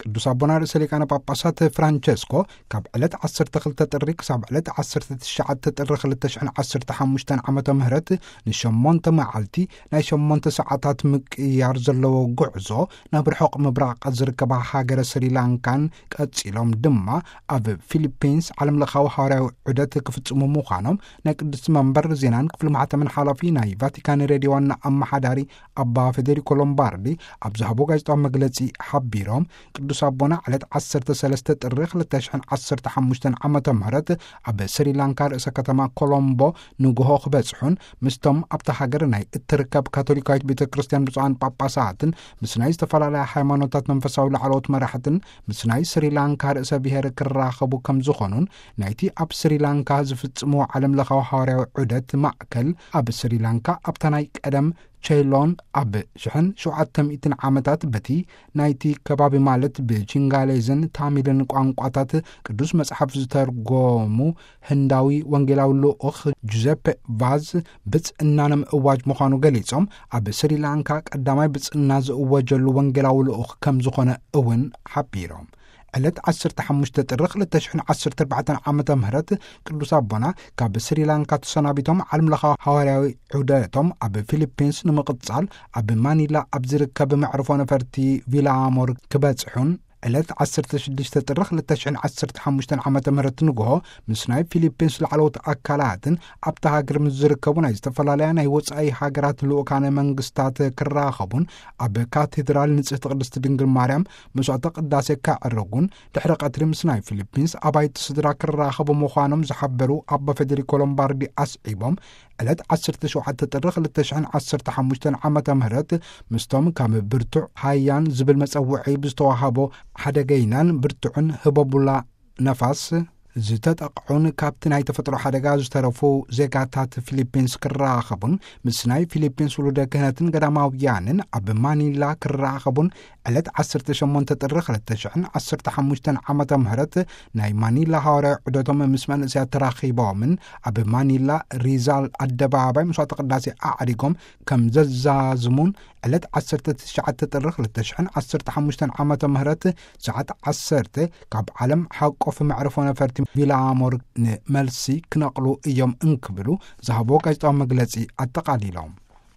ቅዱስ ኣቦና ርእሰ ሊቃነ ጳጳሳት ፍራንቸስኮ ካብ ዕለት ዓሰርተ ክልተ ጥሪ ክሳብ ዕለት ዓሰርተ ትሽዓተ ጥሪ ክልተ ሽሕን ዓሰርተ ሓሙሽተን ዓመተ ምህረት ንሸሞንተ መዓልቲ ናይ ሸሞንተ ሰዓታት ምቅያር ዘለዎ ጉዕዞ ናብ ርሑቕ ምብራቕ ዝርከባ ሃገረ ስሪላንካን ቀጺሎም ድማ ኣብ ፊሊፒንስ ዓለም ለኻዊ ሃዋርያዊ ዑደት ክፍጽሙ ምዃኖም ናይ ቅድስቲ መንበር ዜናን ክፍሊ ማሕተምን ሓላፊ ናይ ቫቲካን ሬድዮ ዋና ኣመሓዳሪ ኣባ ፌዴሪኮ ሎምባርዲ ኣብ ዝሃቦ ጋዜጣዊ መግለጺ ሓቢሮም፣ ቅዱስ ኣቦና ዕለት ዓሰርተ ሰለስተ ጥሪ ክልተ ሽሕን ዓሰርተ ሓሙሽተን ዓመተ ምህረት ኣብ ስሪላንካ ርእሰ ከተማ ኮሎምቦ ንግሆ ክበጽሑን ምስቶም ኣብታ ሃገር ናይ እትርከብ ካቶሊካዊት ቤተ ክርስቲያን ብፁዓን ጳጳሳትን ምስ ናይ ዝተፈላለያ ሃይማኖታት መንፈሳዊ ላዕለዎት መራሕትን ምስ ናይ ስሪላንካ ርእሰ ብሔር ክራኸቡ ከም ዝኾኑን ናይቲ ኣብ ስሪላንካ ዝፍጽምዎ ዓለም ለኻዊ ሃዋርያዊ ዑደት ማእከል ኣብ ስሪላንካ ኣብታ ናይ ቀደም ቸይሎን ኣብ ሽሕን ሸውዓተ ሚእትን ዓመታት በቲ ናይቲ ከባቢ ማለት ብቺንጋሌዝን ታሚልን ቋንቋታት ቅዱስ መጽሓፍ ዝተርጎሙ ህንዳዊ ወንጌላዊ ልኡኽ ጁዘፔ ቫዝ ብጽእና ንምእዋጅ ምዃኑ ገሊጾም፣ ኣብ ስሪላንካ ቀዳማይ ብጽእና ዝእወጀሉ ወንጌላዊ ልኡኽ ከም ዝኾነ እውን ሓቢሮም። ዕለት ዓሰርተ ሓሙሽተ ጥሪ ክልተ ሽሕን ዓሰርተ ኣርባዕተን ዓመተ ምህረት ቅዱስ ኣቦና ካብ ስሪላንካ ተሰናቢቶም ዓለም ለኻዊ ሃዋርያዊ ዑደቶም ኣብ ፊሊፒንስ ንምቕጻል ኣብ ማኒላ ኣብ ዝርከብ መዕርፎ ነፈርቲ ቪላሞር ክበጽሑን ዕለት ዓሰርተ ሽዱሽተ ጥሪ ክልተ ሽሕን ዓሰርተ ሓሙሽተን ዓመተ ምህረት ንግሆ ምስ ናይ ፊሊፒንስ ላዕለዎት ኣካላትን ኣብታ ሃገር ምስ ዝርከቡ ናይ ዝተፈላለያ ናይ ወጻኢ ሃገራት ልኡካነ መንግስታት ክራኸቡን ኣብ ካቴድራል ንጽህቲ ቅድስቲ ድንግል ማርያም መስዋዕተ ቅዳሴ ከዕርጉን ድሕሪ ቀትሪ ምስ ናይ ፊሊፒንስ ኣባይቲ ስድራ ክራኸቡ ምዃኖም ዝሓበሩ ኣባ ፌዴሪኮ ሎምባርዲ ኣስዒቦም፣ ዕለት ዓሰርተ ሸውዓተ ጥሪ ክልተ ሽሕን ዓሰርተ ሓሙሽተን ዓመተ ምህረት ምስቶም ካብ ብርቱዕ ሃያን ዝብል መጸውዒ ብዝተዋሃቦ ሓደገይናን ብርቱዕን ህቦቡላ ነፋስ ዝተጠቕዑን ካብቲ ናይ ተፈጥሮ ሓደጋ ዝተረፉ ዜጋታት ፊሊፒንስ ክራኸቡን ምስ ናይ ፊሊፒንስ ውሉደ ክህነትን ገዳማውያንን ኣብ ማኒላ ክራኸቡን ዕለት ዓሰርተ ሸሞንተ ጥሪ ክልተ ሽሕን ዓሰርተ ሓሙሽተን ዓመተ ምህረት ናይ ማኒላ ሃዋርያዊ ዑደቶም ምስ መንእሰያት ተራኺቦምን ኣብ ማኒላ ሪዛል ኣደባባይ መስዋዕተ ቅዳሴ ኣዕሪጎም ከም ዘዛዝሙን ዕለት ዓሰርተ ትሽዓተ ጥሪ ክልተ ሽሕን ዓሰርተ ሓሙሽተን ዓመተ ምህረት ሰዓት ዓሰርተ ካብ ዓለም ሓቆፍ መዕርፎ ነፈርቲ ቪላሞር ንመልሲ ክነቕሉ እዮም እንክብሉ ዝሃቦ ጋዜጣዊ መግለጺ ኣጠቓሊሎም።